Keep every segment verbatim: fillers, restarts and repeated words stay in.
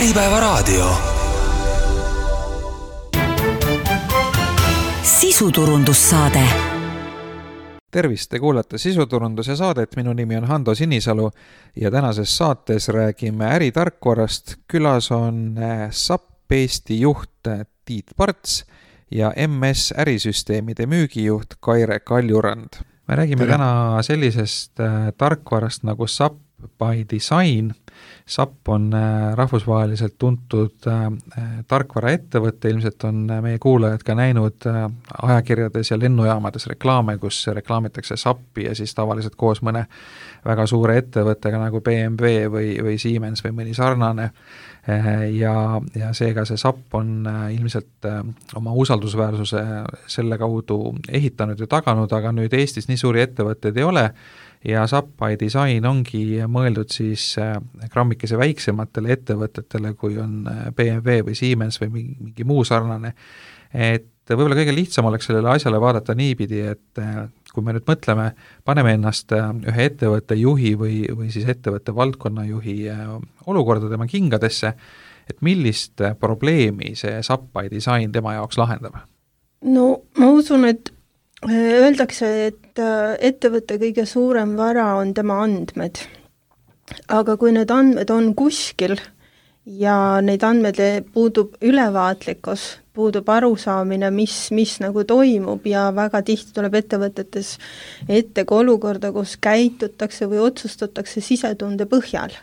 Äripäevaraadio. Sisuturundussaade. Tervist, te kuulate sisuturunduse saadet, minu nimi on Hando Sinisalu ja tänases saates räägime äritarkvarast. Külas on S A P Eesti juht Tiit Parts ja M S ärisüsteemide müügijuht Kaire Kaljurand. Me räägime Tere. täna sellisest tarkvarast nagu S A P by Design. S A P on rahvusvaheliselt tuntud tarkvaraettevõte, ilmselt on meie kuulajad ka näinud ajakirjades ja lennujaamades reklaame, kus reklaamitakse S A P-i ja siis tavaliselt koos mõne väga suure ettevõttega nagu B M W või, või Siemens või mõni sarnane. Ja, ja seega see S A P on ilmselt oma usaldusväärsuse selle kaudu ehitanud ja taganud, aga nüüd Eestis nii suuri ettevõtteid ei ole ja S A P by Design ongi mõeldud siis grammikese väiksematele ettevõtetele, kui on B M W või Siemens või mingi muu sarnane. Et võib-olla kõige lihtsam oleks sellele asjale vaadata niipidi, et kui me nüüd mõtleme, paneme ennast ühe ettevõtte juhi või, või siis ettevõtte valdkonna juhi olukorda tema kingadesse, et millist probleemi see S A P by Design tema jaoks lahendab? No ma usun, et öeldakse, et ettevõtte kõige suurem vara on tema andmed. Aga kui need andmed on kuskil ja neid andmed puudub ülevaatlikkus, puudub arusaamine, mis, mis nagu toimub ja väga tihti tuleb ettevõtetes ette ka olukorda, kus käitutakse või otsustatakse sisetunde põhjal.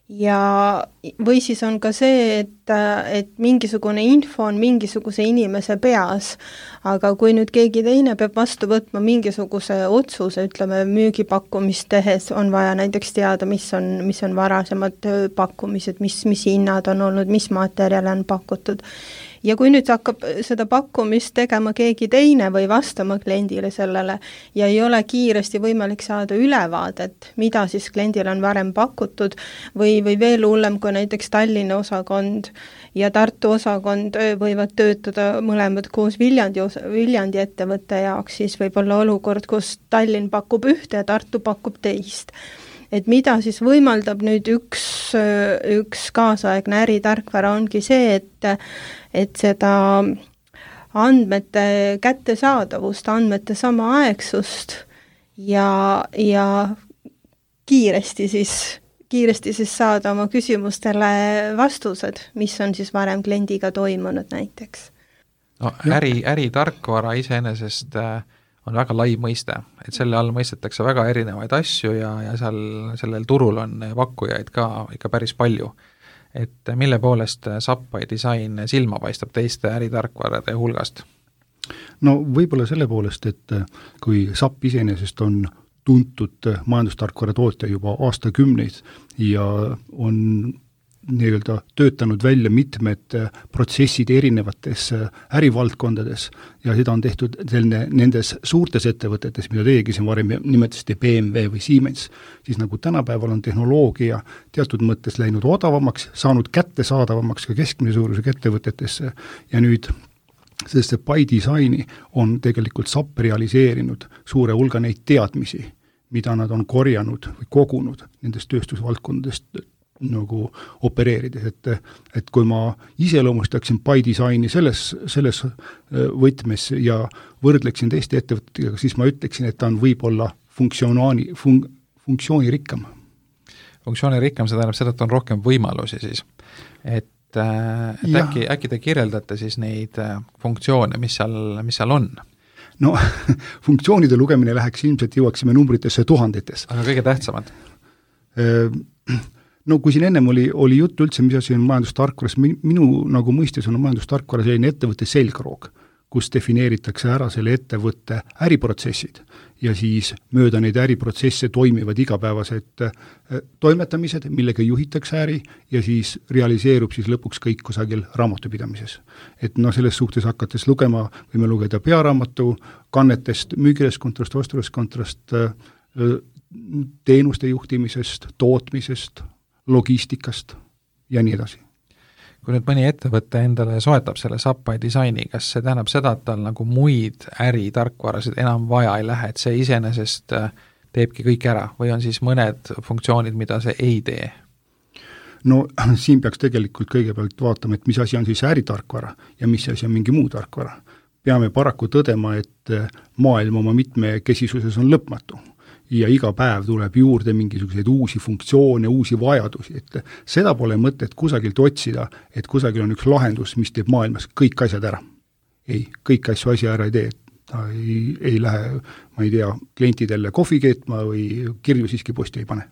Ja või siis on ka see, et, et mingisugune info on mingisuguse inimese peas, aga kui nüüd keegi teine peab vastu võtma mingisuguse otsuse, ütleme müügipakkumist tehes, on vaja näiteks teada, mis on, mis on varasemad pakkumised, mis, mis hinnad on olnud, mis materjale on pakutud. Ja kui nüüd hakkab seda pakkumist tegema keegi teine või vastama kliendile sellele ja ei ole kiiresti võimalik saada ülevaadet, mida siis kliendile on varem pakutud või, või veel hullem, kui näiteks Tallinna osakond ja Tartu osakond võivad töötada mõlemad koos Viljandi, Viljandi ettevõtte jaoks, siis võib olla olukord, kus Tallinn pakub ühte ja Tartu pakub teist. Et mida siis võimaldab nüüd üks, üks kaasaegne äritarkvara ongi see, et, et seda andmete kättesaadavust, andmete samaaegsust ja, ja kiiresti siis, kiiresti siis saada oma küsimustele vastused, mis on siis varem kliendiga toimunud näiteks. No, äri, äritarkvara iseenesest on väga lai mõiste, et selle all mõistetakse väga erinevaid asju ja, ja seal, sellel turul on pakkujaid ka ikka päris palju. Et mille poolest S A P by Design silma paistab teiste äritarkvarade hulgast? No võib-olla selle poolest, et kui S A P iseenesest on tuntud majandustarkvara tootja juba aastakümneid ja on nii-öelda töötanud välja mitmed protsessid erinevates ärivaldkondades ja seda on tehtud selline nendes suurtes ettevõtetes, mida teiegi siin varem nimetasite B M W või Siemens, siis nagu tänapäeval on tehnoloogia teatud mõttes läinud odavamaks, saanud kättesaadavamaks ka keskmise suurusega ettevõtetesse ja nüüd sest see by Designi on tegelikult S A P realiseerinud suure hulga neid teadmisi, mida nad on korjanud või kogunud nendest tööstusvaldkondadest nagu opereerides, et, et kui ma iseloomustaksin by Designi selles, selles võtmes ja võrdleksin teiste ettevõtetega, siis ma ütleksin, et ta on võib-olla funktsiooni, fun, funktsioonirikkam. Funktsioonirikkam, see tähendab seda, et on rohkem võimalusi siis. Et, et äkki, äkki te kirjeldate siis neid funktsioone, mis seal, mis seal on? No, funktsioonide lugemine läheks ilmselt jõuaksime numbritesse tuhandetes. Aga kõige tähtsamad? No kui siin ennem oli, oli jutt üldse, mis asi on majandustarkvaras, minu nagu mõistes on majandustarkvara selline ettevõtte selgroog, kus defineeritakse ära selle ettevõtte äriprotsessid ja siis mööda neid äriprotsesse toimivad igapäevased toimetamised, millega juhitakse äri ja siis realiseerub siis lõpuks kõik kusagil raamatupidamises. Et no selles suhtes hakates lugema, võime lugeda pearaamatu, kannetest, müügireskontrost, ostureskontrost, teenuste juhtimisest, tootmisest, logistikast ja nii edasi. Kui nüüd mõni ettevõte endale soetab selle S A P by Designi, kas see tähendab seda, et tal nagu muid äritarkvarasid enam vaja ei lähe, et see iseenesest teebki kõik ära või on siis mõned funktsioonid, mida see ei tee? no siin peaks tegelikult kõigepealt vaatama, et mis asi on siis äritarkvara ja mis asi on mingi muu tarkvara. Peame paraku tõdema, et maailm oma mitmekesisuses on lõpmatu ja iga päev tuleb juurde mingisuguseid uusi funktsioone, uusi vajadusi, et seda pole mõtet kusagilt otsida, et kusagil on üks lahendus, mis teeb maailmas kõik asjad ära. Ei, kõik asju asja ära ei tee, ta ei, ei lähe, ma ei tea, klientidele kohvi keetma või kirju siiski posti ei pane.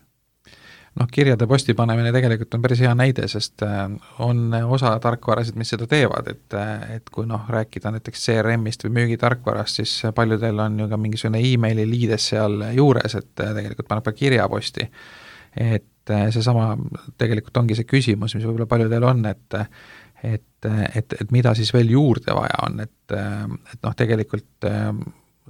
Noh, kirjade posti panemine tegelikult on päris hea näide, sest on osa tarkvarasid, mis seda teevad, et, et kui noh, rääkida näiteks C R M-ist või müügitarkvarast, siis paljudel on ju ka mingisugune e-maili liides seal juures, et tegelikult paneb ka kirja posti. Et seesama tegelikult ongi see küsimus, mis võib-olla paljudel on, et et, et, et mida siis veel juurde vaja on, et, et noh, tegelikult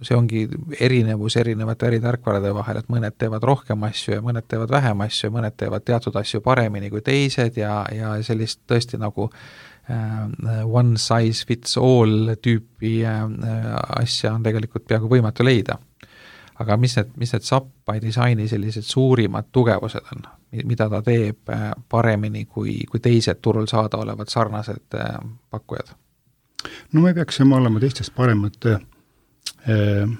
see ongi erinevus erinevate äritarkvarade vahel, et mõned teevad rohkem asju ja mõned teevad vähem asju ja mõned teevad teatud asju paremini kui teised ja, ja sellist tõesti nagu äh, one size fits all tüüpi äh, asja on tegelikult peaaegu võimatu leida. Aga mis need, mis need S A P by Designi sellised suurimad tugevused on, mida ta teeb paremini kui, kui teised turul saada olevad sarnased pakkujad? No me peaksime olema teistest paremad eh,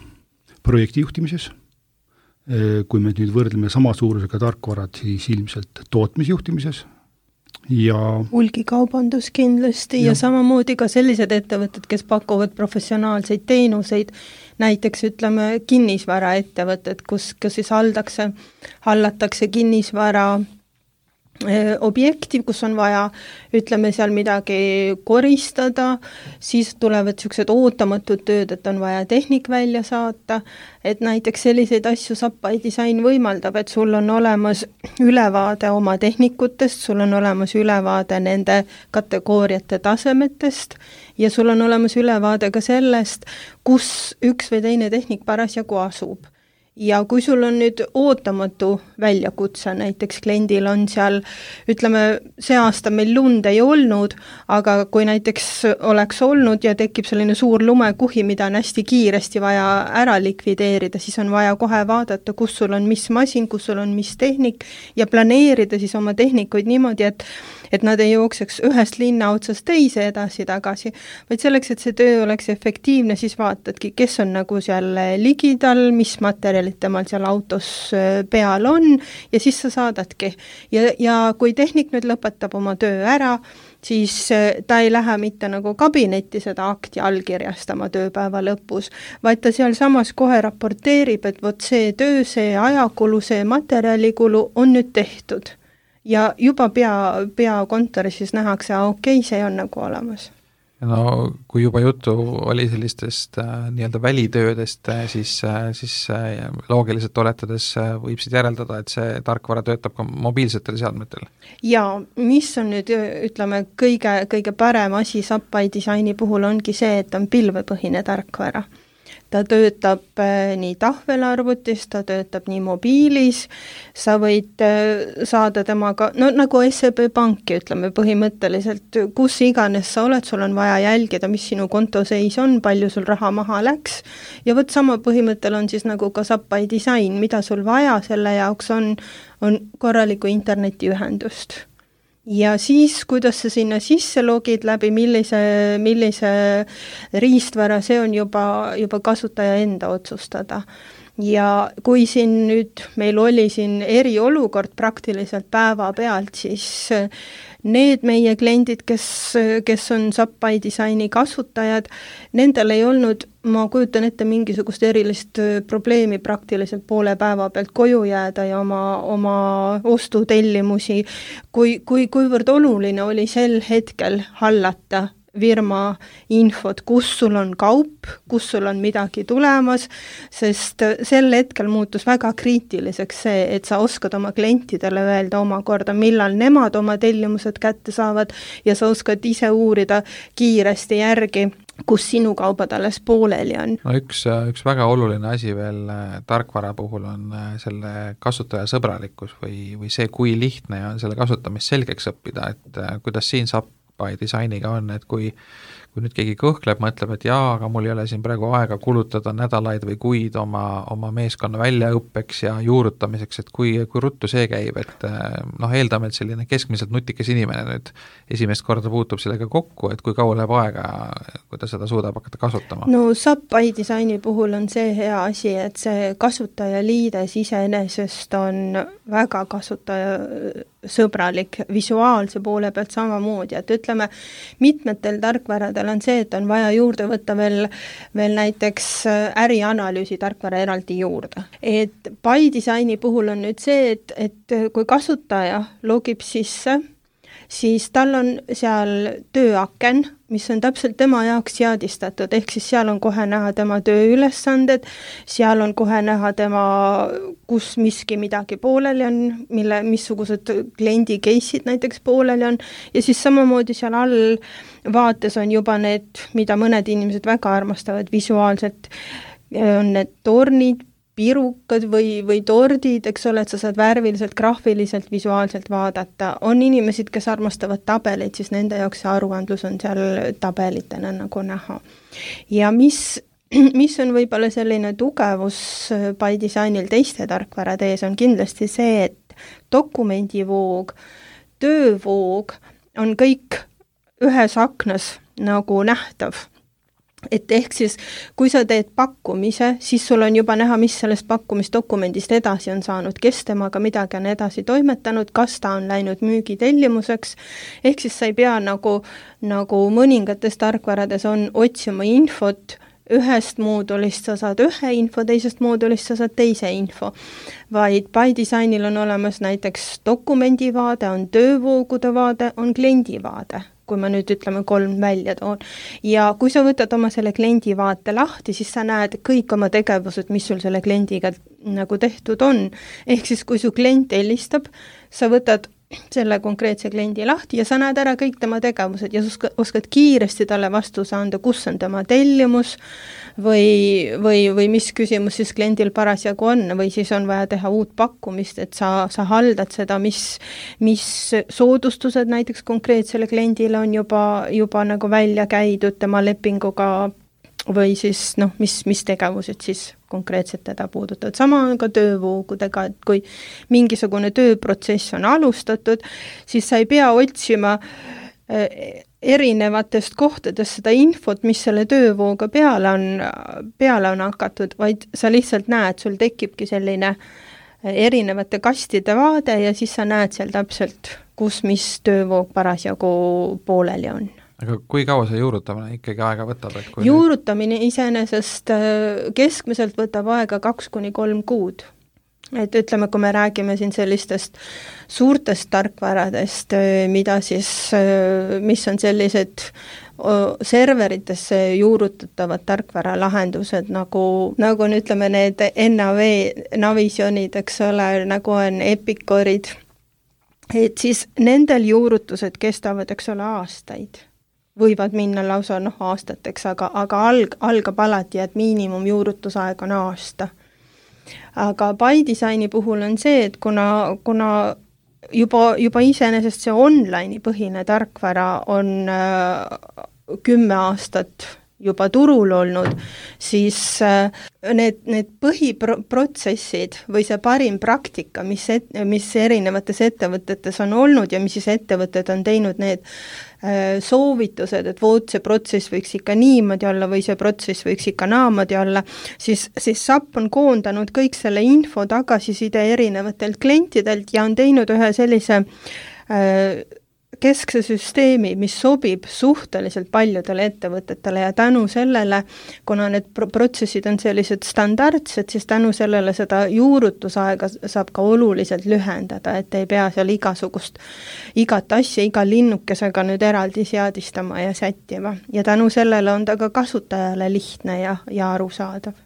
projektijuhtimises. Eh, kui me nüüd võrdleme sama suurusega tarkvarad, siis ilmselt tootmisjuhtimises. Ja hulgikaubandus kindlasti ja. ja samamoodi ka sellised ettevõtted, kes pakuvad professionaalseid teenuseid, näiteks ütleme kinnisvaraettevõtted, kus, kus siis haldakse, hallatakse kinnisvara objekti, kus on vaja, ütleme seal midagi koristada, siis tulevad niisugused ootamatud tööd, et on vaja tehnik välja saata, et näiteks selliseid asju S A P by Design võimaldab, et sul on olemas ülevaade oma tehnikutest, sul on olemas ülevaade nende kategooriate tasemetest ja sul on olemas ülevaade ka sellest, kus üks või teine tehnik parasjagu asub. Ja kui sul on nüüd ootamatu väljakutse, näiteks kliendil on seal, ütleme, see aasta meil lund ei olnud, aga kui näiteks oleks olnud ja tekib selline suur lumekuhi, mida on hästi kiiresti vaja ära likvideerida, siis on vaja kohe vaadata, kus sul on mis masin, kus sul on mis tehnik ja planeerida siis oma tehnikuid niimoodi, et et nad ei jookseks ühest linna otsast teise edasi-tagasi, vaid selleks, et see töö oleks efektiivne, siis vaatadki, kes on nagu seal ligidal, mis materjalid temal seal autos peal on ja siis sa saadadki. Ja, ja kui tehnik nüüd lõpetab oma töö ära, siis ta ei lähe mitte nagu kabinetti seda akti allkirjastama tööpäeva lõpus, vaid ta seal samas kohe raporteerib, et vot see töö, see ajakulu, see materjalikulu on nüüd tehtud. Ja juba pea, pea kontoris siis nähakse, okei, okay, see on nagu olemas. No kui juba jutu oli sellistest äh, nii-öelda välitöödest, äh, siis, äh, siis äh, loogiliselt oletades äh, võib siit järeldada, et see tarkvara töötab ka mobiilsetel seadmetel. Ja mis on nüüd, ütleme, kõige, kõige parem asi S A P by Designi puhul ongi see, et on pilvepõhine tarkvara. Ta töötab nii tahvelarvutis, ta töötab nii mobiilis, sa võid saada temaga, no nagu S E B Panki, ütleme põhimõtteliselt, kus iganes sa oled, sul on vaja jälgida, mis sinu konto seis on, palju sul raha maha läks ja võt sama põhimõttel on siis nagu ka S A P by Design, mida sul vaja selle jaoks on, on korraliku internetiühendust. Ja siis, kuidas sa sinna sisse logid läbi, millise, millise riistvara, see on juba, juba kasutaja enda otsustada. Ja kui siin nüüd meil oli siin eriolukord praktiliselt päeva pealt, siis need meie kliendid, kes, kes on S A P by Designi kasutajad, nendel ei olnud, ma kujutan ette mingisugust erilist probleemi praktiliselt poole päeva pealt koju jääda ja oma, oma ostutellimusi, kui, kui, kuivõrd oluline oli sel hetkel hallata firma infot, kus sul on kaup, kus sul on midagi tulemas, sest sel hetkel muutus väga kriitiliseks see, et sa oskad oma klientidele öelda omakorda, millal nemad oma tellimused kätte saavad ja sa oskad ise uurida kiiresti järgi, kus sinu kaubad alles pooleli on. No üks, üks väga oluline asi veel tarkvara puhul on selle kasutaja sõbralikkus või, või see, kui lihtne on selle kasutamist selgeks õppida, et kuidas siin saab by Designiga on, et kui, kui nüüd keegi kõhkleb, mõtleb, et jaa, aga mul ei ole siin praegu aega kulutada nädalaid või kuid oma, oma meeskonna väljaõppeks ja juurutamiseks, et kui, kui ruttu see käib, et noh, eeldame, et selline keskmiselt nutikas inimene nüüd esimest korda puutub sellega kokku, et kui kaua läheb aega, kui ta seda suudab hakata kasutama? No S A P by Designi puhul on see hea asi, et see kasutajaliides iseenesest on väga kasutajasõbralik, visuaalse poole pealt samamoodi, et ütleme, mitmetel tarkvaradel on see, et on vaja juurde võtta veel, veel näiteks ärianalüüsi tarkvara eraldi juurde. Et by Designi puhul on nüüd see, et, et kui kasutaja logib sisse, siis tal on seal tööaken, mis on täpselt tema jaoks seadistatud, ehk siis seal on kohe näha tema tööülesanded, seal on kohe näha tema, kus miski midagi pooleli on, mille, missugused kliendi case'id näiteks pooleli on, ja siis samamoodi seal all vaates on juba need, mida mõned inimesed väga armastavad visuaalselt, on need tornid, pirukad või, või tordid, eks ole, et sa saad värviliselt, graafiliselt, visuaalselt vaadata. On inimesed, kes armastavad tabeleid, siis nende jaoks see aruandlus on seal tabelitena nagu näha. Ja mis, mis on võib-olla selline tugevus by Designil teiste tarkvarade ees, on kindlasti see, et dokumendivoog, töövoog on kõik ühes aknas nagu nähtav. Et ehk siis, kui sa teed pakkumise, siis sul on juba näha, mis sellest pakkumisdokumendist edasi on saanud, kes temaga midagi on edasi toimetanud, kas ta on läinud müügitellimuseks, ehk siis sa ei pea nagu, nagu mõningates tarkvarades on otsima infot, ühest moodulist sa saad ühe info, teisest moodulist sa saad teise info, vaid by Designil on olemas näiteks dokumendivaade, on töövoogude vaade, on kliendivaade, kui ma nüüd ütleme kolm välja toon. Ja kui sa võtad oma selle kliendi vaate lahti, siis sa näed kõik oma tegevused, mis sul selle kliendiga nagu tehtud on. Ehk siis, kui su klient helistab, sa võtad selle konkreetse kliendi lahti ja sa näed ära kõik tema tegevused ja oskad kiiresti talle vastuse anda, kus on tema tellimus või, või, või mis küsimus siis kliendil parasjagu on või siis on vaja teha uut pakkumist, et sa, sa haldad seda, mis, mis soodustused näiteks konkreetsele kliendile on juba, juba nagu välja käidud tema lepinguga või siis noh, mis, mis tegevused siis konkreetselt teda puudutavad. Sama on ka töövoogudega, et kui mingisugune tööprotsess on alustatud, siis sa ei pea otsima erinevatest kohtadest seda infot, mis selle töövooga peale on, peale on hakatud, vaid sa lihtsalt näed, sul tekibki selline erinevate kastide vaade ja siis sa näed seal täpselt, kus mis töövoog parasjagu pooleli on. Aga kui kaua see juurutamine ikkagi aega võtab? Et kui juurutamine nüüd... iseenesest keskmiselt võtab aega kaks kuni kolm kuud. Et ütleme, kui me räägime siin sellistest suurtest tarkvaradest, mida siis, mis on sellised serveritesse juurutatavad tarkvaralahendused, nagu, nagu on, ütleme, need N A V Navisionid, eks ole, nagu on Epicorid, et siis nendel juurutused kestavad, eks ole, aastaid. Võivad minna lausa noh, aastateks, aga, aga alg, algab alati, et miinimum juurutusaeg on aasta. Aga by Designi puhul on see, et kuna, kuna juba, juba iseenesest see online'i põhine tarkvara on äh, kümme aastat juba turul olnud, siis need, need põhiprotsessid või see parim praktika, mis, et, mis erinevates ettevõtetes on olnud ja mis siis ettevõtted on teinud need soovitused, et vood see protsess võiks ikka niimoodi olla või see protsess võiks ikka naamodi olla, siis, siis S A P on koondanud kõik selle info tagasiside erinevatelt klientidelt ja on teinud ühe sellise äh, keskse süsteemi, mis sobib suhteliselt paljudele ettevõtetele ja tänu sellele, kuna need pro- protsessid on sellised standardsed, siis tänu sellele seda juurutusaega saab ka oluliselt lühendada, et ei pea seal igasugust, igat asja, iga linnukesega nüüd eraldi seadistama ja sättima. Ja tänu sellele on ta ka kasutajale lihtne ja, ja arusaadav.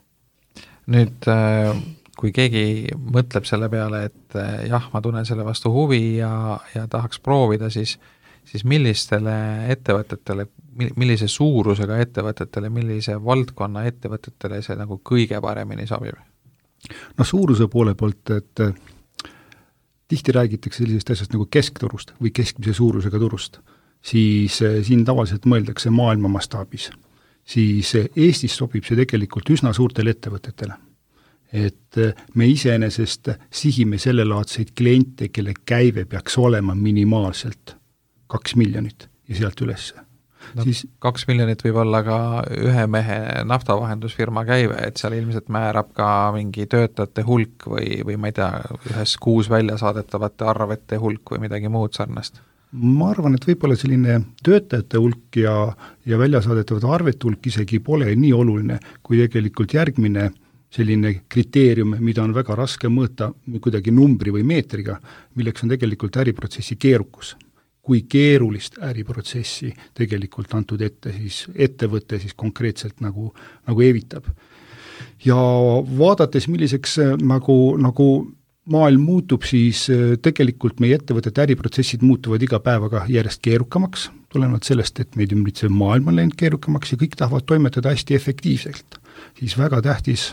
Nüüd kui keegi mõtleb selle peale, et jah, ma tunnen selle vastu huvi ja, ja tahaks proovida, siis, siis millistele ettevõtetele, millise suurusega ettevõtetele, millise valdkonna ettevõtetele see nagu kõige paremini sobib? No suuruse poole poolt, et tihti räägitakse sellisest asjast nagu keskturust või keskmise suurusega turust, siis siin tavaliselt mõeldakse maailma mastaabis. Siis Eestis sobib see tegelikult üsna suurtele ettevõtetele. Et me iseenesest sihime sellelaadseid kliente, kelle käive peaks olema minimaalselt kaks miljonit ja sealt ülesse. No, siis, kaks miljonit võib olla ka ühe mehe naftavahendusfirma käive, et seal ilmselt määrab ka mingi töötajate hulk või, või ma ei tea, ühes kuus välja saadetavate arvete hulk või midagi muud sarnast. Ma arvan, et võib-olla selline töötajate hulk ja, ja välja saadetavate arvete hulk isegi pole nii oluline, kui tegelikult järgmine selline kriteerium, mida on väga raske mõõta kuidagi numbri või meetriga, milleks on tegelikult äriprotsessi keerukus. Kui keerulist äriprotsessi tegelikult antud ette, siis ettevõte siis konkreetselt nagu, nagu evitab. Ja vaadates, milliseks nagu, nagu maailm muutub, siis tegelikult meie ettevõtete äriprotsessid muutuvad iga päevaga järjest keerukamaks, tulenevalt sellest, et meid ümbritsev maailm on läinud keerukamaks ja kõik tahavad toimetada hästi efektiivselt. Siis väga tähtis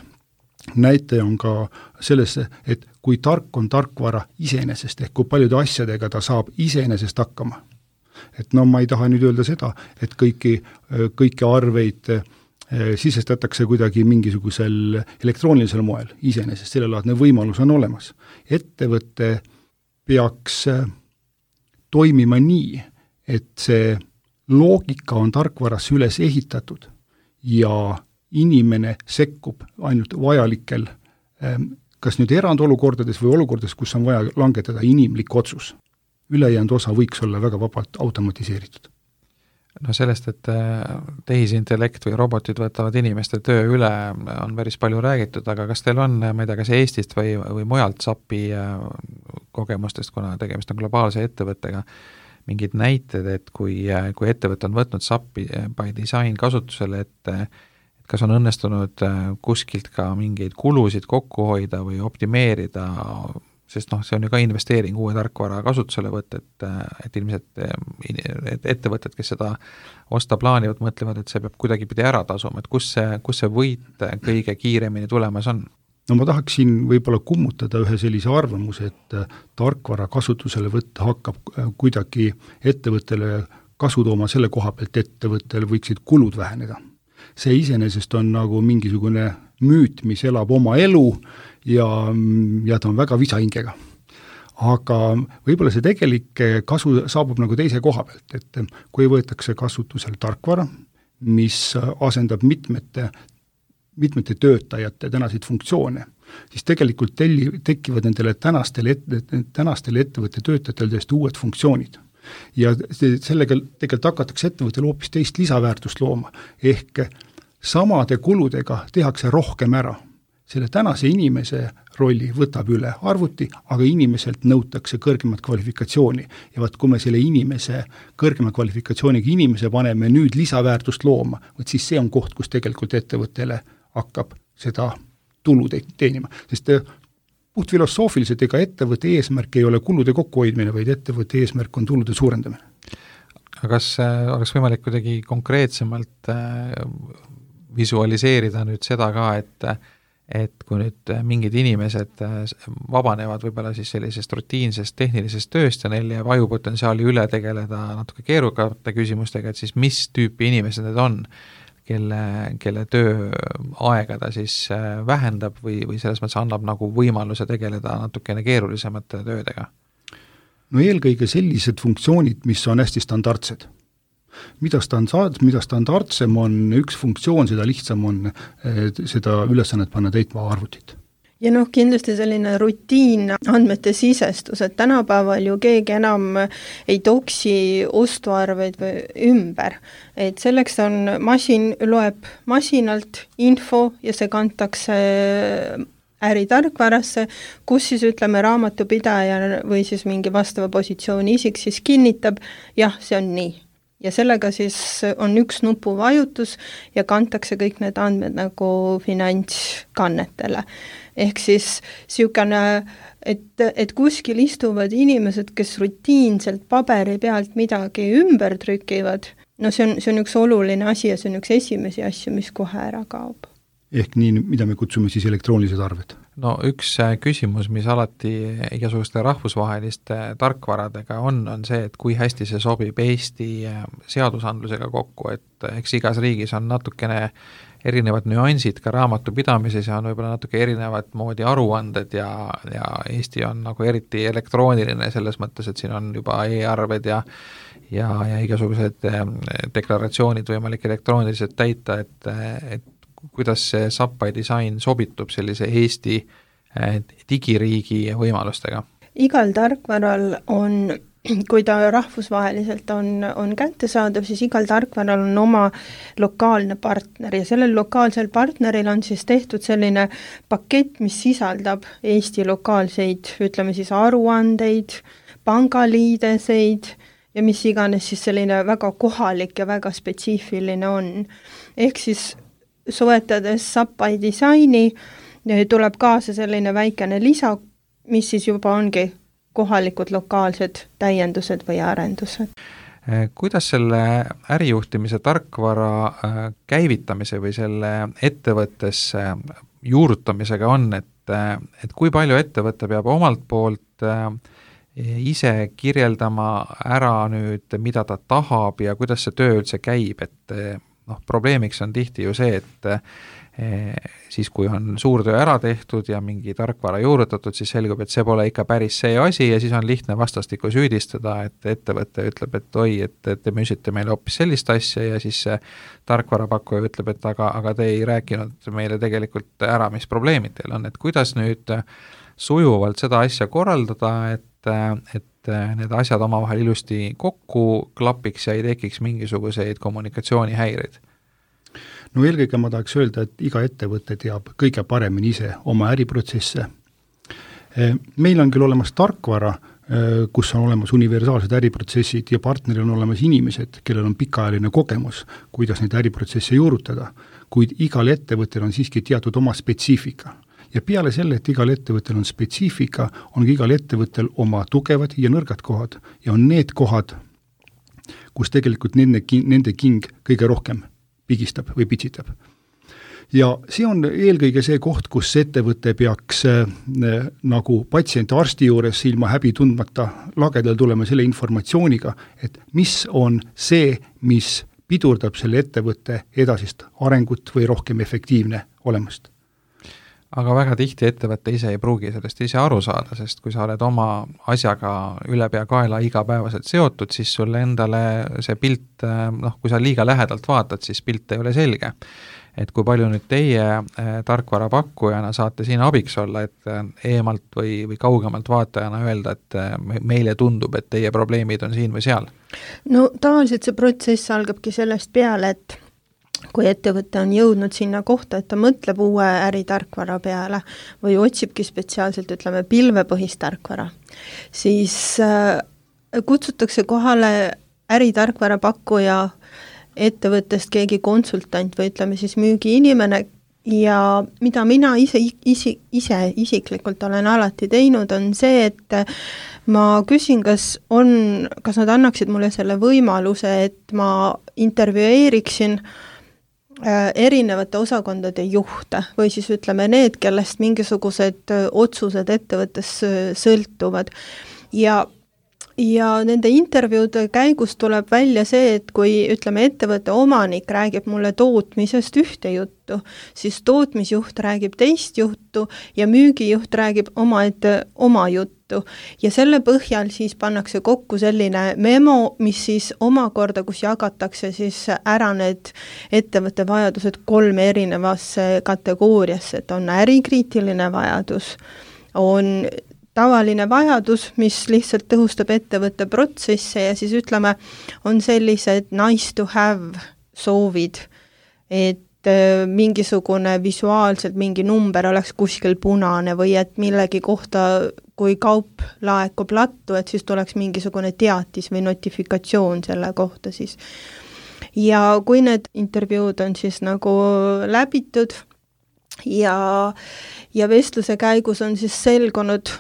näitaja on ka selles, et kui tark on tarkvara iseenesest, ehk kui paljude asjadega ta saab iseenesest hakkama. Et no ma ei taha nüüd öelda seda, et kõiki, kõiki arveid sisestatakse kuidagi mingisugusel elektroonilisel moel iseenesest, sellelaadne võimalus on olemas. Ettevõte peaks toimima nii, et see loogika on tarkvarasse üles ehitatud ja inimene sekkub ainult vajalikel, kas nüüd erandolukordades või olukordades, kus on vaja langetada inimlik otsus. Ülejäänud osa võiks olla väga vabalt automatiseeritud. No sellest, et tehisintellekt või robotid võtavad inimeste töö üle, on päris palju räägitud, aga kas teil on, ma ei tea, kas Eestist või, või mujalt SAP-i kogemustest, kuna tegemist on globaalse ettevõttega, mingid näited, et kui, kui ettevõte on võtnud SAP-i by design kasutusele, et kas on õnnestunud kuskilt ka mingeid kulusid kokku hoida või optimeerida, sest noh, see on ju ka investeering uue tarkvara kasutusele võtta, et, et ilmselt et ettevõtted, kes seda osta plaanivad, mõtlevad, et see peab kuidagi pidi ära tasuma, et kus see, kus see võit kõige kiiremini tulemas on? No ma tahaksin võib-olla kummutada ühe sellise arvamuse, et tarkvara kasutusele võtta hakkab kuidagi ettevõttele kasu tooma selle koha pealt, ettevõttel võiksid kulud väheneda. See iseenesest on nagu mingisugune müüt, mis elab oma elu ja, ja ta on väga visahingega. Aga võib-olla see tegelik kasu saabub nagu teise koha pealt, et kui võetakse kasutusele tarkvara, mis asendab mitmete, mitmete töötajate tänaseid funktsioone, siis tegelikult telli, tekivad nendele tänastele, et, tänastele ettevõtte töötajatel täiesti uued funktsioonid. Ja sellega tegelikult hakatakse ettevõttel hoopis teist lisaväärtust looma, ehk samade kuludega tehakse rohkem ära. Selle tänase inimese rolli võtab üle arvuti, aga inimeselt nõutakse kõrgemat kvalifikatsiooni. Ja vaat, kui me selle inimese, kõrgema kvalifikatsiooniga inimese paneme nüüd lisaväärtust looma, võt siis see on koht, kus tegelikult ettevõttele hakkab seda tulu teenima. Sest puht filosoofiliselt ega ettevõtte eesmärk ei ole kulude kokkuhoidmine, vaid ettevõtte eesmärk on tulude suurendamine. Aga kas oleks võimalik kuidagi konkreetsemalt visualiseerida nüüd seda ka, et, et kui nüüd mingid inimesed vabanevad võib-olla siis sellisest rutiinsest tehnilisest tööst ja neil jääb ajupotentsiaali üle tegeleda natuke keerukate küsimustega, et siis mis tüüpi inimesed need on? Kelle, kelle tööaega ta siis vähendab või, või selles mõttes annab nagu võimaluse tegeleda natukene keerulisemate töödega? No eelkõige sellised funktsioonid, mis on hästi standardsed. Mida, standard, mida standardsem on üks funktsioon, seda lihtsam on seda ülesannet panna täitma arvutit. Ja noh, kindlasti selline rutiin andmete sisestus, et tänapäeval ju keegi enam ei toksi ostuarveid või ümber. Et selleks on masin, loeb masinalt info ja see kantakse äritarkvarasse, kus siis ütleme raamatupidaja või siis mingi vastava positsiooni isik siis kinnitab, jah, see on nii. Ja sellega siis on üks nupuvajutus ja kantakse kõik need andmed nagu finantskannetele. Ehk siis siukene, et, et kuskil istuvad inimesed, kes rutiinselt paberi pealt midagi ümber trükivad, no see on, see on üks oluline asi ja see on üks esimesi asju, mis kohe ära kaob. Ehk nii, mida me kutsume siis elektroonilised arved. no üks küsimus, mis alati igasuguste rahvusvaheliste tarkvaradega on, on see, et kui hästi see sobib Eesti seadusandlusega kokku, et eks igas riigis on natukene erinevad nüansid ka raamatupidamises ja on võib-olla natuke erinevat moodi aruanded ja, ja Eesti on nagu eriti elektrooniline selles mõttes, et siin on juba e-arved ja ja, ja igasugused deklaratsioonid võimalik elektrooniliselt täita, et, et kuidas see S A P I disain sobitub sellise Eesti digiriigi võimalustega? Igal tarkvaral on, kui ta rahvusvaheliselt on, on kättesaadav, siis igal tarkvaral on oma lokaalne partner ja sellel lokaalsel partneril on siis tehtud selline pakett, mis sisaldab Eesti lokaalseid, ütleme siis aruandeid, pangaliideseid ja mis iganes siis selline väga kohalik ja väga spetsiifiline on. Ehk siis soetades S A P I disaini tuleb kaasa selline väikene lisa, mis siis juba ongi kohalikud lokaalsed täiendused või arendused. Kuidas selle ärijuhtimise tarkvara käivitamise või selle ettevõttesse juurutamisega on, et, et kui palju ettevõte peab omalt poolt ise kirjeldama ära nüüd, mida ta tahab ja kuidas see töö üldse käib, et noh, probleemiks on tihti ju see, et eh, siis kui on suur töö ära tehtud ja mingi tarkvara juurutatud, siis selgub, et see pole ikka päris see asi ja siis on lihtne vastastikku süüdistada, et ettevõte ütleb, et oi, et te müüsite meile hoopis sellist asja ja siis see tarkvarapakkuja ütleb, et aga, aga te ei rääkinud meile tegelikult ära, mis probleemid teil on, et kuidas nüüd sujuvalt seda asja korraldada, et, et need asjad omavahel ilusti kokku klapiks ja ei tekiks mingisuguseid kommunikatsioonihäireid? No eelkõige ma tahaks öelda, et iga ettevõte teab kõige paremini ise oma äriprotsesse. Meil on küll olemas tarkvara, kus on olemas universaalsed äriprotsessid ja partneril on olemas inimesed, kellel on pikaajaline kogemus, kuidas neid äriprotsesse juurutada, kuid igal ettevõttel on siiski teatud oma spetsiifika. Ja peale selle, et igal ettevõttel on spetsiifika, on igal ettevõttel oma tugevad ja nõrgad kohad ja on need kohad, kus tegelikult nende, nende king kõige rohkem pigistab või pitsitab. Ja see on eelkõige see koht, kus ettevõte peaks äh, nagu patsient arsti juures ilma häbi tundmata lagedal tulema selle informatsiooniga, et mis on see, mis pidurdab selle ettevõtte edasist arengut või rohkem efektiivne olemust. Aga väga tihti ettevõtte ise ei pruugi sellest ise aru saada, sest kui sa oled oma asjaga üle pea kaela igapäevaselt seotud, siis sulle endale see pilt, noh, kui sa liiga lähedalt vaatad, siis pilt ei ole selge. Et kui palju nüüd teie tarkvarapakkujana saate siin abiks olla, et eemalt või, või kaugemalt vaatajana öelda, et meile tundub, et teie probleemid on siin või seal? No tavaliselt see protsess algabki sellest peale, et kui ettevõte on jõudnud sinna kohta, et ta mõtleb uue äritarkvara peale või otsibki spetsiaalselt, ütleme, pilvepõhist tarkvara, siis äh, kutsutakse kohale äritarkvara pakkuja ettevõttest keegi konsultant või ütleme siis müügiinimene ja mida mina ise, isi, ise isiklikult olen alati teinud, on see, et ma küsin, kas on, kas nad annaksid mulle selle võimaluse, et ma intervjueeriksin erinevate osakondade juhte või siis ütleme need, kellest mingisugused otsused ettevõttes sõltuvad ja ja nende intervjuude käigus tuleb välja see, et kui ütleme ettevõtte omanik räägib mulle tootmisest ühte juttu, siis tootmisjuht räägib teist juttu ja müügijuht räägib omaette oma juttu ja selle põhjal siis pannakse kokku selline memo, mis siis omakorda, kus jagatakse siis ära need ettevõtte vajadused kolme erinevasse kategooriasse, et on ärikriitiline vajadus, on tavaline vajadus, mis lihtsalt tõhustab ettevõtte protsesse ja siis ütleme, on sellised nice to have soovid, et mingisugune visuaalselt mingi number oleks kuskil punane või et millegi kohta, kui kaup laekub lattu, et siis tuleks mingisugune teatis või notifikatsioon selle kohta siis. Ja kui need intervjuud on siis nagu läbitud ja, ja vestluse käigus on siis selgunud,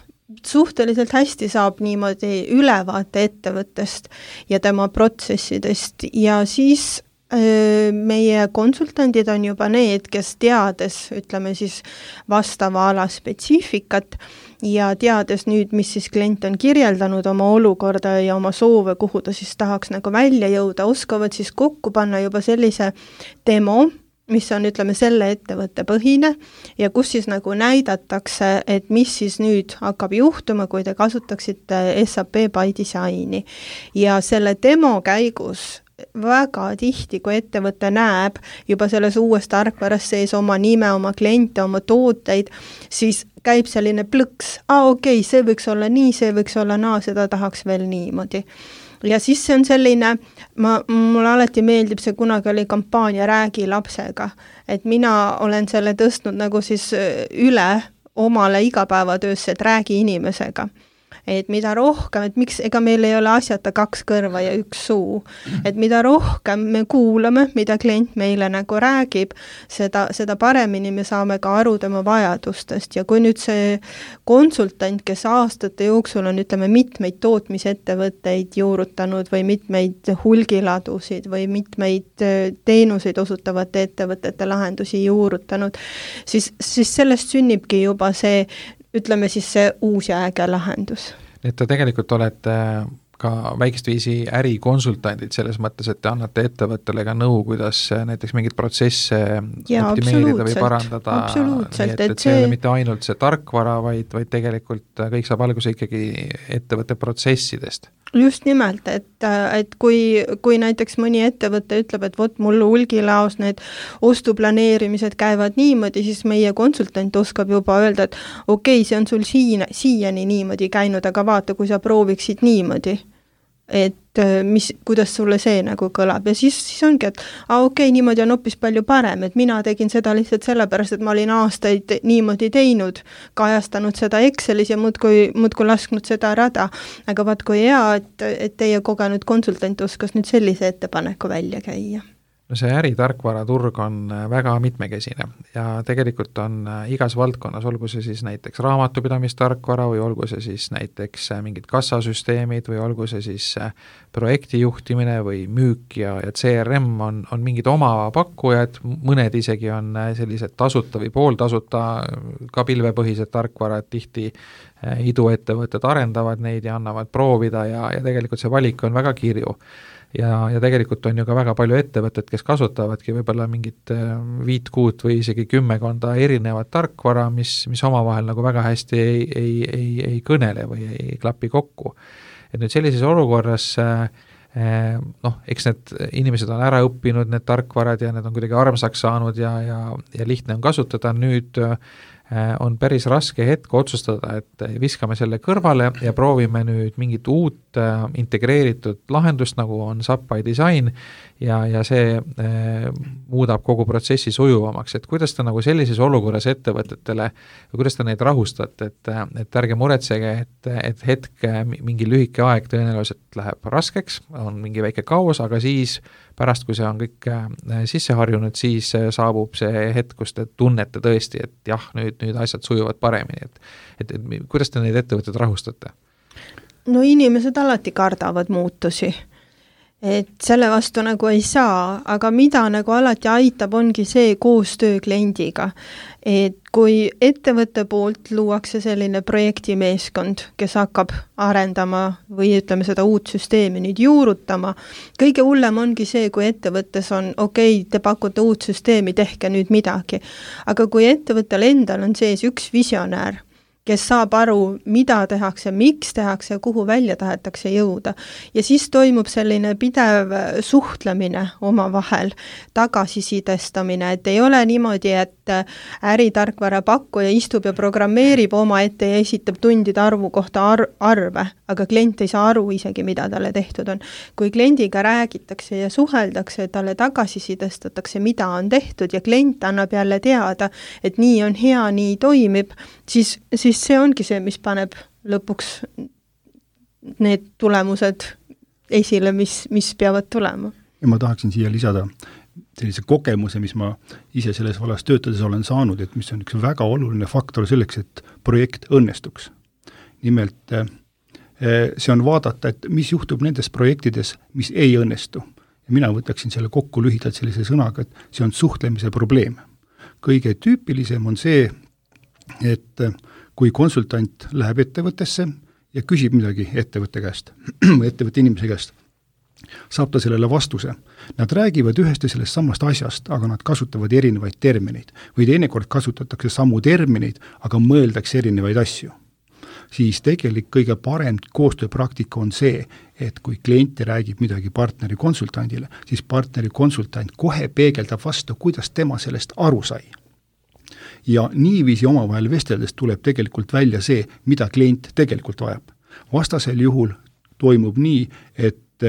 suhteliselt hästi saab niimoodi ülevaate ettevõttest ja tema protsessidest ja siis meie konsultandid on juba need, kes teades, ütleme siis vastava ala spetsiifikat ja teades nüüd, mis siis klient on kirjeldanud oma olukorda ja oma soove, kuhu ta siis tahaks nagu välja jõuda, oskavad siis kokku panna juba sellise demo, mis on, ütleme, selle ettevõtte põhine ja kus siis nagu näidatakse, et mis siis nüüd hakkab juhtuma, kui te kasutaksite S A P by Designi. Ja selle demo käigus väga tihti, kui ettevõte näeb juba selles uues tarkvaras sees oma nime, oma kliente, oma tooteid, siis käib selline plõks, aa okei, okay, see võiks olla nii, see võiks olla naa, seda tahaks veel niimoodi. Ja siis see on selline, ma, mulle alati meeldib see, kunagi oli kampaania Räägi lapsega, et mina olen selle tõstnud nagu siis üle omale igapäevatöösse, et räägi inimesega. Et mida rohkem, et miks, ega meil ei ole asjata kaks kõrva ja üks suu, et mida rohkem me kuulame, mida klient meile nagu räägib, seda, seda paremini me saame ka aru tema vajadustest ja kui nüüd see konsultant, kes aastate jooksul on, ütleme, mitmeid tootmisettevõtteid juurutanud või mitmeid hulgiladusid või mitmeid teenuseid osutavate ettevõtete lahendusi juurutanud, siis, siis sellest sünnibki juba see, ütleme siis see uus ja äge lahendus. Et te tegelikult olete ka väikest viisi ärikonsultandid selles mõttes, et te annate ettevõttele ka nõu, kuidas näiteks mingid protsesse ja, optimeerida või parandada. Absoluutselt. Et, et see ei ole mitte ainult see tarkvara, vaid, vaid tegelikult kõik saab alguse ikkagi ettevõtte protsessidest. Just nimelt, et, et kui, kui näiteks mõni ettevõte ütleb, et vot mul hulgilaos need ostuplaneerimised käivad niimoodi, siis meie konsultant oskab juba öelda, et okei, okay, see on sul siin, siiani niimoodi käinud, aga vaata, kui sa prooviksid niimoodi, et mis, kuidas sulle see nagu kõlab ja siis, siis ongi, et a, okei, okay, niimoodi on hoopis palju parem, et mina tegin seda lihtsalt sellepärast, et ma olin aastaid niimoodi teinud, kajastanud seda Excelis ja muudkui, muudkui lasknud seda rada, aga vaat kui hea, et, et teie kogenud konsultant oskas nüüd sellise ettepaneku välja käia. No see äritarkvaraturg on väga mitmekesine ja tegelikult on igas valdkonnas, olgu see siis näiteks raamatupidamistarkvara või olgu see siis näiteks mingid kassasüsteemid või olgu see siis projektijuhtimine või müük ja, ja C R M on, on mingid oma pakkujad, mõned isegi on sellised tasuta või pooltasuta ka pilvepõhised tarkvarad, tihti iduettevõtted arendavad neid ja annavad proovida ja, ja tegelikult see valik on väga kirju. Ja, ja tegelikult on ju ka väga palju ettevõtted, kes kasutavadki võib-olla mingit viit kuut või isegi kümmekonda erinevat tarkvara, mis, mis omavahel nagu väga hästi ei, ei, ei, ei kõnele või ei klapi kokku. Et nüüd sellises olukorras noh, eks need inimesed on ära õppinud, need tarkvarad ja need on kuidagi armsaks saanud ja, ja, ja lihtne on kasutada, nüüd on päris raske hetk otsustada, et viskame selle kõrvale ja proovime nüüd mingit uut integreeritud lahendust, nagu on S A P by Design ja, ja see eh, muudab kogu protsessi sujuvamaks, et kuidas te nagu sellises olukorras ettevõtetele, kuidas te neid rahustate, et, et ärge muretsege, et, et hetk mingi lühike aeg tõenäoliselt läheb raskeks, on mingi väike kaos, aga siis pärast, kui see on kõik sisse harjunud, siis saabub see hetk, kus te tunnete tõesti, et jah, nüüd, nüüd asjad sujuvad paremini, et, et, et kuidas te neid ettevõtted rahustate? No inimesed alati kardavad muutusi, et selle vastu nagu ei saa, aga mida nagu alati aitab, ongi see koostöö kliendiga, et kui ettevõtte poolt luuakse selline projektimeeskond, kes hakkab arendama või ütleme seda uut süsteemi nüüd juurutama, kõige hullem ongi see, kui ettevõttes on okei, okay, te pakute uut süsteemi, tehke nüüd midagi, aga kui ettevõttel endal on sees üks visionäär, kes saab aru, mida tehakse, miks tehakse ja kuhu välja tahetakse jõuda. Ja siis toimub selline pidev suhtlemine oma vahel, tagasisidestamine, et ei ole niimoodi, et äritarkvara pakkuja istub ja programmeerib oma ette ja esitab tundide arvu kohta ar- arve, aga klient ei saa aru isegi, mida talle tehtud on. Kui kliendiga räägitakse ja suheldakse, talle tagasisidestatakse, mida on tehtud ja klient annab jälle teada, et nii on hea, nii toimib, siis, siis see ongi see, mis paneb lõpuks need tulemused esile, mis, mis peavad tulema. Ja ma tahaksin siia lisada sellise kogemuse, mis ma ise selles vallas töötades olen saanud, et mis on üks väga oluline faktor selleks, et projekt õnnestuks. Nimelt see on vaadata, et mis juhtub nendes projektides, mis ei õnnestu. ja mina võtaksin selle kokku lühidalt sellise sõnaga, et see on suhtlemise probleem. Kõige tüüpilisem on see, et kui konsultant läheb ettevõttesse ja küsib midagi ettevõtte käest, ettevõtte inimese käest, saab ta sellele vastuse. Nad räägivad ühest ja sellest samast asjast, aga nad kasutavad erinevaid termineid. Või teinekord kasutatakse samu termineid, aga mõeldakse erinevaid asju. Siis tegelik kõige parem koostööpraktika on see, et kui klient räägib midagi partneri konsultandile, siis partneri konsultant kohe peegeldab vastu, kuidas tema sellest aru sai. Ja niiviisi omavahel vesteldes tuleb tegelikult välja see, mida klient tegelikult vajab. Vastasel juhul toimub nii, et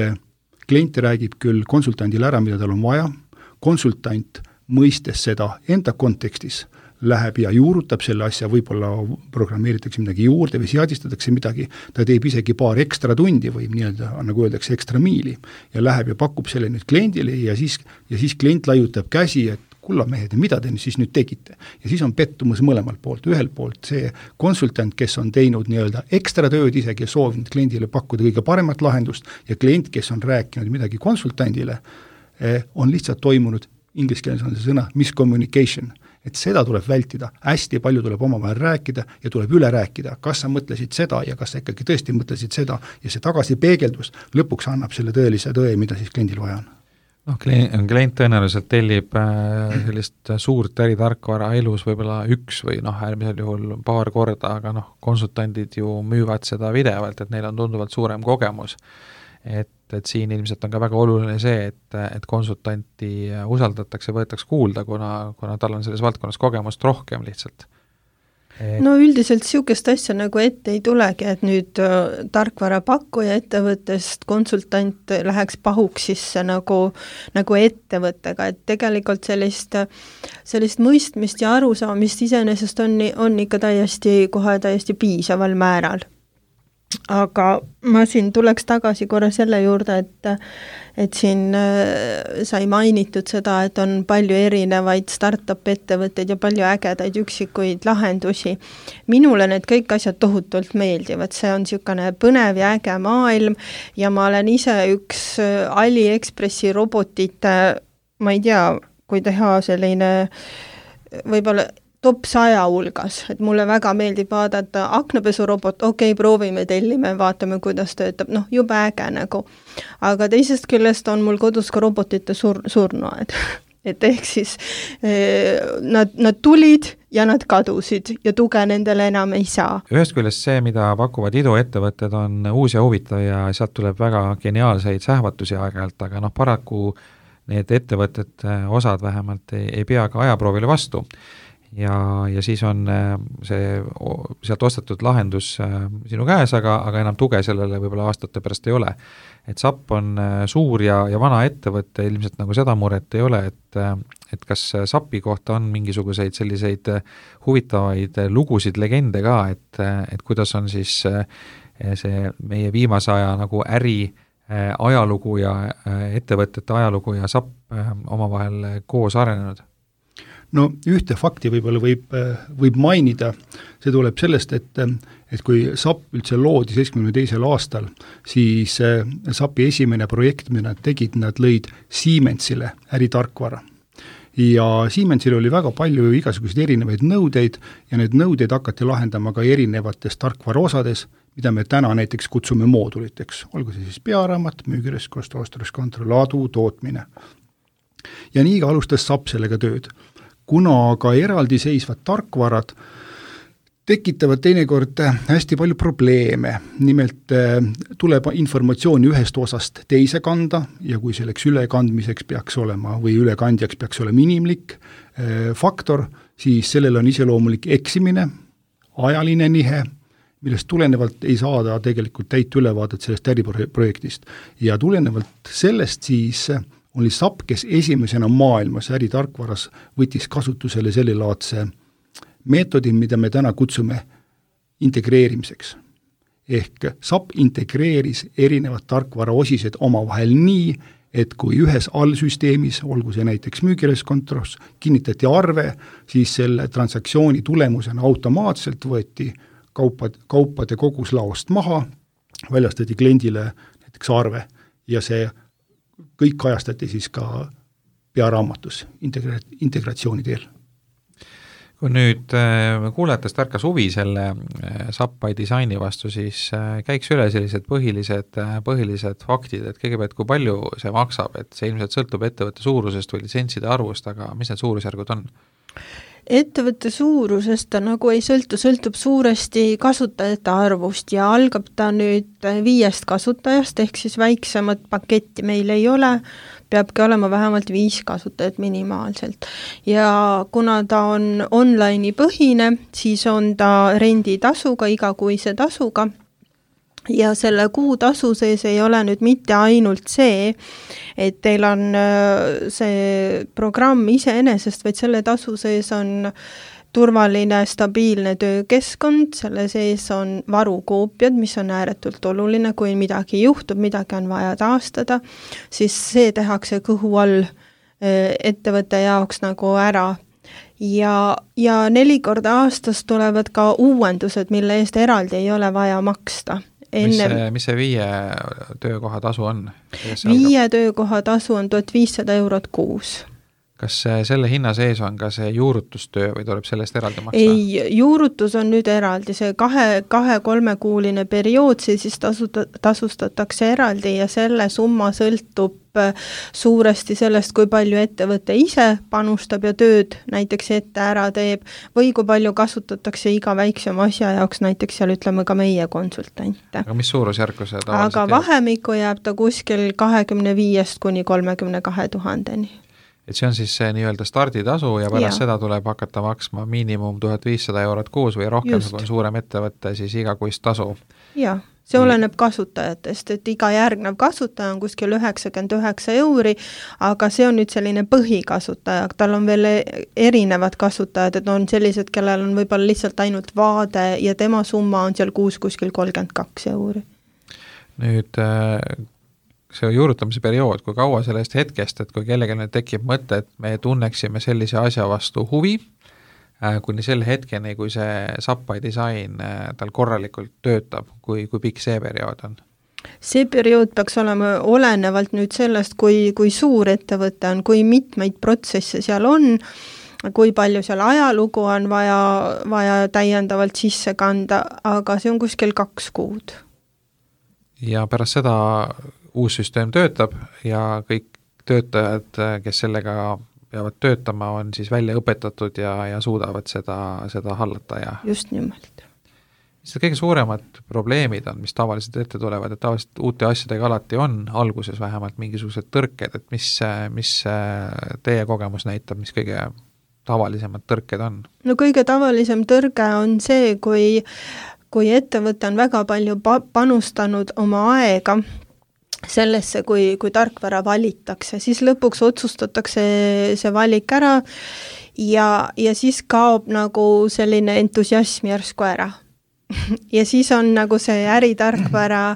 klient räägib küll konsultandile ära, mida tal on vaja, konsultant mõistes seda enda kontekstis, läheb ja juurutab selle asja, võib-olla programmeeritakse midagi juurde või seadistatakse midagi, ta teeb isegi paar ekstra tundi või nii-öelda, nagu öeldakse, ekstra miili ja läheb ja pakub selle nüüd kliendile ja siis, ja siis klient laiutab käsi, et kulla mehed, mida te siis nüüd tegite? Ja siis on pettumus mõlemalt poolt. Ühel poolt see konsultant, kes on teinud nii-öelda ekstra tööd isegi ja soovinud kliendile pakkuda kõige paremat lahendust ja klient, kes on rääkinud midagi konsultandile, on lihtsalt toimunud, inglise keeles on see sõna, miscommunication. Et seda tuleb vältida, hästi palju tuleb omavahel rääkida ja tuleb üle rääkida, kas sa mõtlesid seda ja kas sa ikkagi tõesti mõtlesid seda ja see tagasi peegeldus lõpuks annab selle tõelise tõe, mida siis kliendil vaja on. noh, klient tõenäoliselt tellib sellist suurt äritarkvara elus võib-olla üks või noh, äärmisel juhul paar korda, aga noh, konsultandid ju müüvad seda pidevalt, et neil on tunduvalt suurem kogemus. Et, et siin ilmselt on ka väga oluline see, et, et konsultanti usaldatakse, võetakse kuulda, kuna, kuna tal on selles valdkonnas kogemust rohkem lihtsalt. Et... No üldiselt niisugust asja nagu ette ei tulegi, et nüüd äh, tarkvara pakkuja ettevõttest konsultant läheks pahuks sisse nagu, nagu ettevõttega, et tegelikult sellist, sellist mõistmist ja arusaamist iseenesest on, on ikka täiesti, kohe täiesti piisaval määral. Aga ma siin tuleks tagasi korra selle juurde, et, et siin sai mainitud seda, et on palju erinevaid startup ettevõtteid ja palju ägedaid üksikuid lahendusi. Minule need kõik asjad tohutult meeldivad, see on niisugune põnev ja äge maailm ja ma olen ise üks AliExpressi robotite, ma ei tea, kui teha selline võib-olla top saja hulgas, et mulle väga meeldib vaadata aknapesurobot, okei, okay, proovime, tellime, vaatame, kuidas töötab, noh, jube äge nagu. Aga teisest küljest on mul kodus ka robotite sur- surnuaed. Et ehk siis eh, nad, nad tulid ja nad kadusid ja tuge nendele enam ei saa. Ühest küljest see, mida pakuvad iduettevõtted, on uus ja huvitav ja sealt tuleb väga geniaalseid sähvatusi aeg-ajalt, aga noh, paraku need ettevõtted, osad vähemalt, ei, ei pea ka ajaproovile vastu. Ja, ja siis on see sealt ostetud lahendus sinu käes, aga, aga enam tuge sellele võib-olla aastate pärast ei ole. Et S A P on suur ja, ja vana ettevõtte, ilmselt nagu seda muret ei ole, et, et kas S A P-i kohta on mingisuguseid selliseid huvitavaid lugusid, legende ka, et, et kuidas on siis see meie viimase aja nagu äri ajalugu ja ettevõtete ajalugu ja S A P omavahel koos arenenud? No ühte fakti võib-olla võib, võib mainida, see tuleb sellest, et, et kui S A P üldse loodi seitsmekümne teisel aastal, siis S A P-i esimene projekt, mida nad tegid, nad lõid Siemensile äritarkvara. Ja Siemensil oli väga palju igasuguseid erinevaid nõudeid ja need nõudeid hakati lahendama ka erinevates tarkvara osades, mida me täna näiteks kutsume mooduliteks, olgu see siis pearaamat, müügirestkond, ostreskontroll, adu, tootmine. Ja nii ka alustas S A P sellega tööd. Kuna ka eraldiseisvad tarkvarad tekitavad teinekord hästi palju probleeme, nimelt tuleb informatsiooni ühest osast teise kanda ja kui selleks ülekandmiseks peaks olema või ülekandjaks peaks olema inimlik faktor, siis sellel on iseloomulik eksimine, ajaline nihe, millest tulenevalt ei saada tegelikult täit ülevaadet sellest äriprojektist. Ja tulenevalt sellest siis oli S A P, kes esimesena maailmas äritarkvaras võttis kasutusele sellelaadse meetodi, mida me täna kutsume integreerimiseks. Ehk S A P integreeris erinevad tarkvara osised omavahel nii, et kui ühes allsüsteemis, olgu see näiteks müügireskontroll, kinnitati arve, siis selle transaktsiooni tulemusena automaatselt võeti kaupad, kaupade kogus laost maha, väljastati kliendile näiteks arve ja see kõik kajastati siis ka pearaamatus integra- integratsiooni teel. Kui nüüd kuulajatest ärkas huvi selle S A P by disaini vastu, siis käiks üle sellised põhilised, põhilised faktid, et kõigepealt kui palju see maksab, et see ilmselt sõltub ettevõtte suurusest või litsentside arvust, aga mis need suurusjärgud on? Ettevõtte suurusest ta nagu ei sõltu, sõltub suuresti kasutajate arvust ja algab ta nüüd viiest kasutajast, ehk siis väiksemat paketti meil ei ole, peabki olema vähemalt viis kasutajat minimaalselt. Ja kuna ta on online'i põhine, siis on ta renditasuga, igakuise tasuga, ja selle kuutasu sees ei ole nüüd mitte ainult see, et teil on see programm iseenesest, vaid selle tasu sees on turvaline, stabiilne töökeskkond, selle sees on varukoopiad, mis on ääretult oluline, kui midagi juhtub, midagi on vaja taastada, siis see tehakse kõhu all ettevõtte jaoks nagu ära. Ja, ja neli korda aastas tulevad ka uuendused, mille eest eraldi ei ole vaja maksta. Enne... Mis, see, mis see viie töökoha tasu on? Viie töökoha tasu on tuhat viissada eurot kuus. Kas selle hinna sees on ka see juurutustöö või tuleb sellest eraldi maksta? Ei, juurutus on nüüd eraldi, see kahe, kahe kolmekuuline periood, see siis tasuta, tasustatakse eraldi ja selle summa sõltub suuresti sellest, kui palju ettevõte ise panustab ja tööd näiteks ette ära teeb või kui palju kasutatakse iga väiksema asja jaoks, näiteks seal ütleme ka meie konsultante. Aga mis suurusjärku see tavaliselt Aga vahemikku jääb ta kuskil kahekümne viiest kuni kolmekümne kahe tuhandeni. Et see on siis see nii-öelda starditasu ja pärast ja. Seda tuleb hakata maksma miinimum tuhat viissada eurot kuus või rohkem, kui on suurem ettevõtte, siis igakuist tasu. Jah, see oleneb kasutajatest, et iga järgnev kasutaja on kuskil üheksakümmend üheksa euri, aga see on nüüd selline põhikasutaja, tal on veel erinevad kasutajad, et on sellised, kellel on võib-olla lihtsalt ainult vaade ja tema summa on seal kuus kuskil kolmkümmend kaks euri. Nüüd see juurutamise periood, kui kaua sellest hetkest, et kui kellelgi nüüd tekib mõte, et me tunneksime sellise asja vastu huvi, kuni selle hetkeni, kui see S A P by disain tal korralikult töötab, kui, kui pikk see periood on? See periood peaks olema olenevalt nüüd sellest, kui, kui suur ettevõte on, kui mitmeid protsesse seal on, kui palju seal ajalugu on vaja, vaja täiendavalt sisse kanda, aga see on kuskil kaks kuud. Ja pärast seda uus süsteem töötab ja kõik töötajad, kes sellega peavad töötama, on siis välja õpetatud ja, ja suudavad seda, seda hallata. Ja... Just nimelt. Mis need kõige suuremad probleemid on, mis tavaliselt ette tulevad, et tavaliselt uute asjadega alati on alguses vähemalt mingisugused tõrked, et mis, mis teie kogemus näitab, mis kõige tavalisemad tõrked on? No kõige tavalisem tõrge on see, kui, kui ettevõte on väga palju pa- panustanud oma aega sellesse, kui, kui tarkvara valitakse, siis lõpuks otsustatakse see valik ära ja, ja siis kaob nagu selline entusiasm järsku ära. Ja siis on nagu see äritarkvara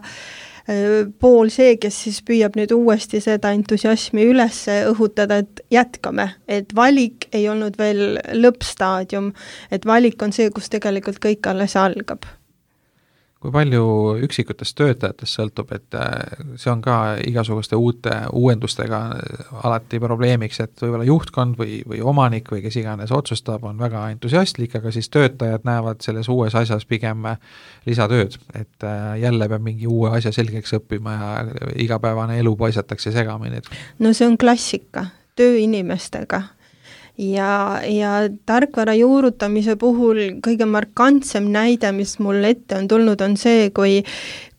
pool see, kes siis püüab nüüd uuesti seda entusiasmi üles õhutada, et jätkame, et valik ei olnud veel lõppstaadium, et valik on see, kus tegelikult kõik alles algab. Kui palju üksikutest töötajatest sõltub, et see on ka igasuguste uute uuendustega alati probleemiks, et võib-olla juhtkond või, või omanik või kes iganes otsustab, on väga entusiastlik, aga siis töötajad näevad selles uues asjas pigem lisatööd, et jälle peab mingi uue asja selgeks õppima ja igapäevane elu paisatakse segamini. No see on klassika tööinimestega. Ja, ja tarkvara juurutamise puhul kõige markantsem näide, mis mul ette on tulnud, on see, kui,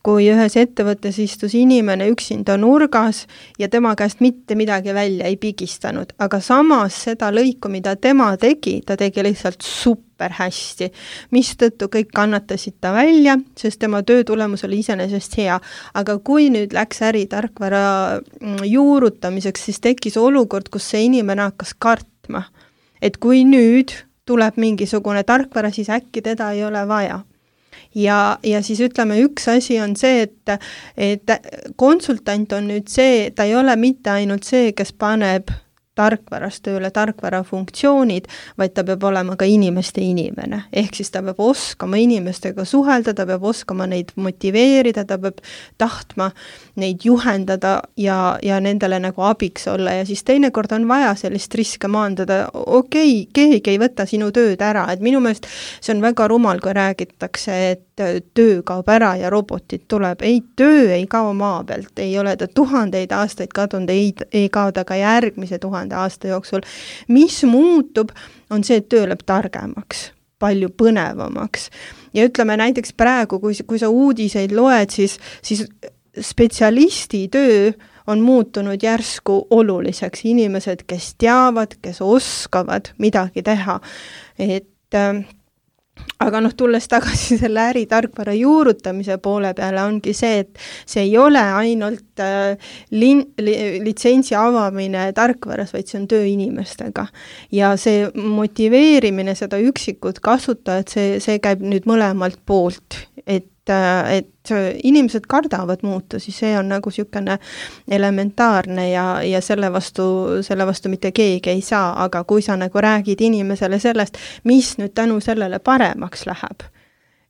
kui ühes ettevõttes istus inimene üksinda nurgas ja tema käest mitte midagi välja ei pigistanud, aga samas seda lõiku, mida tema tegi, ta tegi lihtsalt super hästi, mis tõttu kõik kannatasid ta välja, sest tema töö tulemus oli iseenesest hea. Aga kui nüüd läks äritarkvara juurutamiseks, siis tekkis olukord, kus see inimene hakkas kart et kui nüüd tuleb mingisugune tarkvara, siis äkki teda ei ole vaja. Ja, ja siis ütleme, üks asi on see, et, et konsultant on nüüd see, ta ei ole mitte ainult see, kes paneb tarkvarast tööle tarkvara funktsioonid, vaid ta peab olema ka inimeste inimene. Ehk siis ta peab oskama inimestega suhelda, ta peab oskama neid motiveerida, ta peab tahtma neid juhendada ja, ja nendele nagu abiks olla ja siis teinekord on vaja sellist riske maandada, okei, keegi ei võta sinu tööd ära, et minu meelest see on väga rumal, kui räägitakse, et töö kaob ära ja robotid tuleb. Ei, töö ei kao maa pealt, ei ole ta tuhandeid aastaid kadunud, ei, ei kao ta ka järgmise tuhande aasta jooksul. Mis muutub, on see, et töö läheb targemaks, palju põnevamaks. Ja ütleme näiteks praegu, kui, kui sa uudiseid loed, siis, siis spetsialisti töö on muutunud järsku oluliseks. Inimesed, kes teavad, kes oskavad midagi teha. Et aga noh, tulles tagasi selle äritarkvara juurutamise poole peale, ongi see, et see ei ole ainult äh, lin, li, litsentsi avamine tarkvaras, vaid see on töö inimestega. Ja see motiveerimine, seda üksikut kasutajat, see, see käib nüüd mõlemalt poolt, et et inimesed kardavad muutusi, see on nagu niisugune elementaarne ja, ja selle vastu, selle vastu mitte keegi ei saa, aga kui sa nagu räägid inimesele sellest, mis nüüd tänu sellele paremaks läheb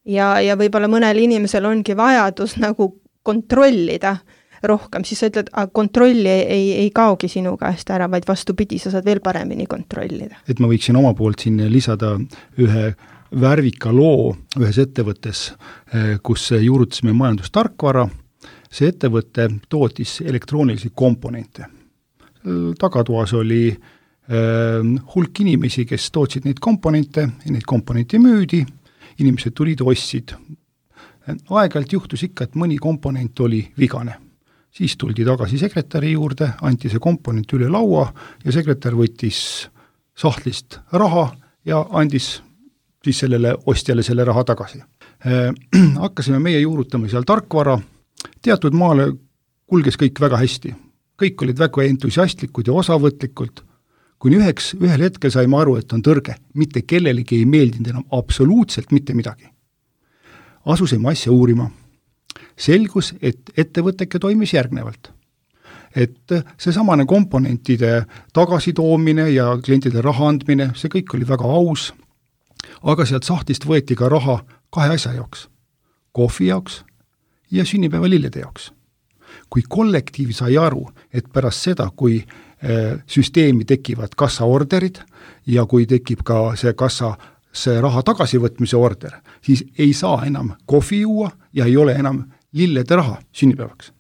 ja, ja võib-olla mõnel inimesel ongi vajadus nagu kontrollida rohkem, siis sa ütled, aga kontrolli ei, ei kaogi sinu käest ära, vaid vastupidi, sa saad veel paremini kontrollida. Et ma võiksin oma poolt siin lisada ühe värvika loo ühes ettevõttes, kus juurutasime majandustarkvara. See ettevõte tootis elektroonilisi komponente. Tagatoas oli hulk inimesi, kes tootsid neid komponente, neid komponente müüdi, inimesed tulid, ostsid. Aeg-ajalt juhtus ikka, et mõni komponent oli vigane. Siis tuldi tagasi sekretäri juurde, anti see komponent üle laua ja sekretär võttis sahtlist raha ja andis siis sellele ostjale selle raha tagasi. Äh, hakkasime meie juurutama seal tarkvara, teatud maale kulges kõik väga hästi. Kõik olid väga entusiastlikud ja osavõtlikud. Kuni üheks, ühel hetkel saime aru, et on tõrge, mitte kellelegi ei meeldinud enam absoluutselt mitte midagi. Asusime asja uurima. Selgus, et ettevõteke toimis järgnevalt. Et see samane komponentide tagasitoomine ja klientide raha andmine, see kõik oli väga aus, aga sealt sahtist võeti ka raha kahe asja jaoks, kohvi jaoks ja sünnipäeva lillede jaoks. Kui kollektiiv sai aru, et pärast seda, kui süsteemi tekivad kassaorderid ja kui tekib ka see kassa see raha tagasivõtmise order, siis ei saa enam kohvi juua ja ei ole enam lillede raha sünnipäevaks.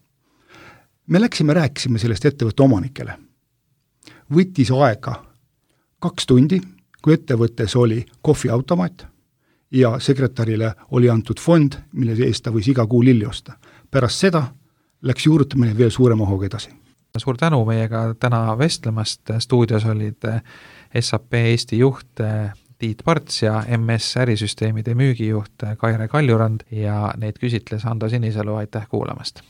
Me läksime, rääkisime sellest ettevõtte omanikele. Võttis aega kaks tundi, kui ettevõttes oli kohviautomaat ja sekretärile oli antud fond, mille eest ta võis iga kuu lilli osta. Pärast seda läks juurutamine veel suurema hooga edasi. Suur tänu meiega täna vestlemast. Stuudios olid S A P Eesti juht Tiit Parts ja M S ärisüsteemide müügijuht Kaire Kaljurand ja neid küsitles Hando Sinisalu. Aitäh kuulamast!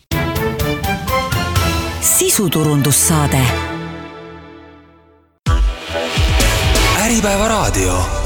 Sisuturundussaade Äripäeva raadio